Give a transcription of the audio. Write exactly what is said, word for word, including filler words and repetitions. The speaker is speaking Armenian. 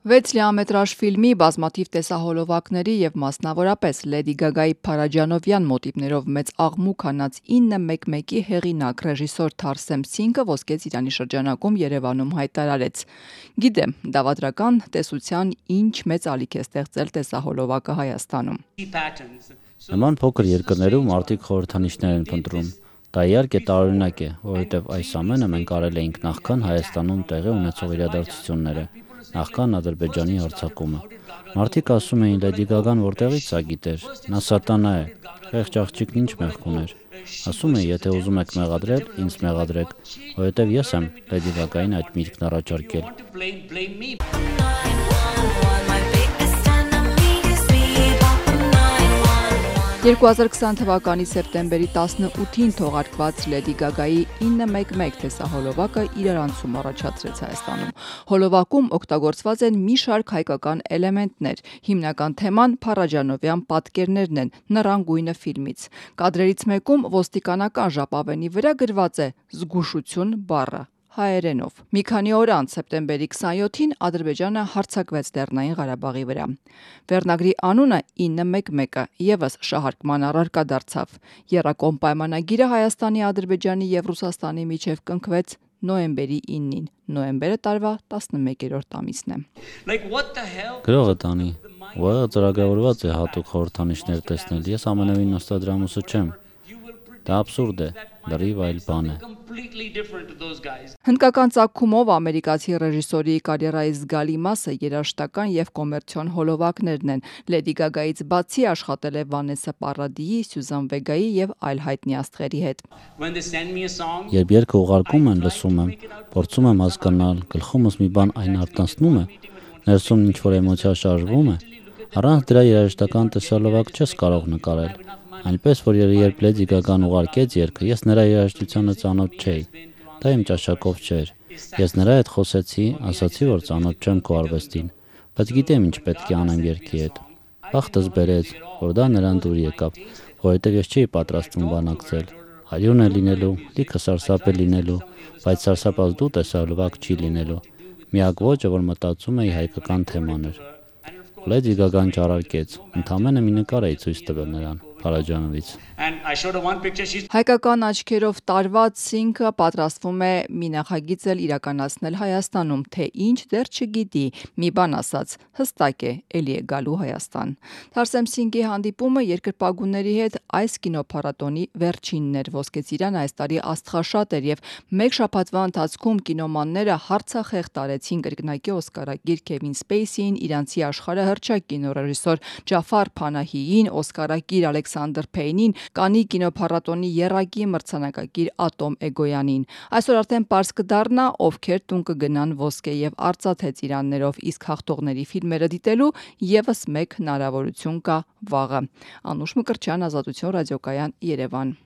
Վեց լիամետրաժ ֆիլմի բազմաթիվ տեսահոլովակների և մասնավորապես Լեդի Գագայի փարաջանովյան մոտիվներով մեծ աղմուկ հանած ինը մեկ մեկի հեղինակ ռեժիսոր Թարսեմ Սինգը Ոսկե ծիրանի շրջանակում Երևանում հայտարարեց. «Գիտեմ, դավադրական տեսության ինչ մեծ ալիք է ստեղծել տեսահոլովակը Հայաստանում։ Նման փոքր երկրներում մարդիկ խորհրդանիշներ են փնտրում։ Դա իհարկե տարօրինակ է, որովհետև այս ամենը մենք արել էինք նախքան Հայաստանում տեղի ունեցող իրադարձությունները, նախքան Ադրբեջանի հարձակումը։ Մարդիկ ասում էին՝ Լեդի Գագան որտեղից սա գիտեր, նա սատանա է, խեղճ աղջիկն ինչ մեղք ուներ։ Ասում էի՝ եթե ուզում եք մեղադրել, ինձ մեղադրեք, որովհետև ես եմ Լեդի Գագային այդ միտքն առաջարկել»։ երկու հազար քսան թվականի սեպտեմբերի տասնութին թողարկված Լեդի Գագայի ինը մեկ մեկ տեսահոլովակը իրարանցում առաջացրեց Հայաստանում։ Հոլովակում օգտագործված են մի շարք հայկական էլեմենտներ, հիմնական թեման փարաջանովյան պատկերներն են «Նռան գույնը» ֆիլմից։ Կադրերից մեկում ոստիկանական ժապավենի վրա գրված է «Զգուշություն» բառը հայերենով։ Մի քանի օր անց սեպտեմբերի քսանյոթին Ադրբեջանը հարձակվեց Լեռնային Ղարաբաղի վրա։ Վերնագրի անունը ինը մեկ մեկը ևս շահարկման առարկա դարձավ։ Եռակողմ պայմանագիրը Հայաստանի, Ադրբեջանի և Ռուսաստանի միջև կնքվեց նոյեմբերի ինին։ Նոյեմբերը տարվա տասնմեկերորդ ամիսն է։ Գրողը տանի, ուղեղը ծրագրավորված է հատուկ խորհրդանիշներ տեսնել, ես ամենևին Նոստրադամուսը չեմ։ Դա աբսուրդ է, լրիվ այլ բան է։ Հնդկական ծագումով ամերիկացի ռեժիսորի կարիերայի զգալի մասը երաժշտական և կոմերցիոն հոլովակներն են։ Լեդի Գագայից բացի աշխատել է Վանեսսա Պարադիի, Սյուզան Վեգայի և այլ հայտնի աստղերի հետ։ Երբ երգը ուղարկում են, լսում եմ, փորձում եմ հասկանալ, գլխումս մի բան այն արտացնում է, ներսում ինչ-որ էմոցիա շարժվում է, առանց դրա երաժշտական տեսահոլովակ չես կարող նկարել։ Այնպես որ երբ Լեդի Գագան ուղարկեց երգը, ես նրա երաժշտությանը ծանոթ չէի։ Դա իմ ճաշակով չէր։ Ես նրա հետ խոսեցի, ասացի, որ ծանոթ չեմ քո արվեստին, բայց գիտեմ ինչ պետք է անեմ երգի հետ։ Բախտս բերեց, որ դա նրան դուր եկավ, որովհետև ես չէի պատրաստվում բանակցել։ Արյուն է լինելու, լիքը սարսափ է լինելու, բայց սարսափած դու տեսահոլովակ չի լինելու։ Միակ ոճը, որ մտածում էի, հայկական թեման էր։ Լեդի Գագան ճարարկեց, ընդամենը մի նկար էի ցույց տվել նրան Փարաջանովից։ Հայկական աչքերով տարված Սինգը պատրաստվում է մի նախագիծ էլ իրականացնել Հայաստանում, թե ինչ դեռ չգիտի, մի բան ասած, հստակ է, էլի է գալու Հայաստան։ Թարսեմ Սինգի հանդիպումը երկրպագուների հետ այս կինոփառատոնի վերջինն էր։ Ոսկե ծիրան այս տարի աստղաշատ էր և մեկ շաբաթվա ընթացքում կինոմանները հարցախեղ տարեցին կրկնակի օսկարակիր Քևին Սպեյսիին, իրանցի աշխարհահռչակ կինոռեժիսոր Ջաֆար Փանահիին, օսկարակիր Ալեքսանդր Փեյնին, Կաննի կինոփառատոնի եռակի մրցանակակիր Ատոմ Էգոյանին։ Այսօր արդեն պարզ կդառնա, ովքեր տուն կգնան ոսկե և արծաթե ծիրաններով, իսկ հաղթողների ֆիլմերը դիտելու ևս մեկ հնարավորություն կա վաղը։ Անուշ Մկրտչյան, Ազատություն ռադիոկայան, Երևան։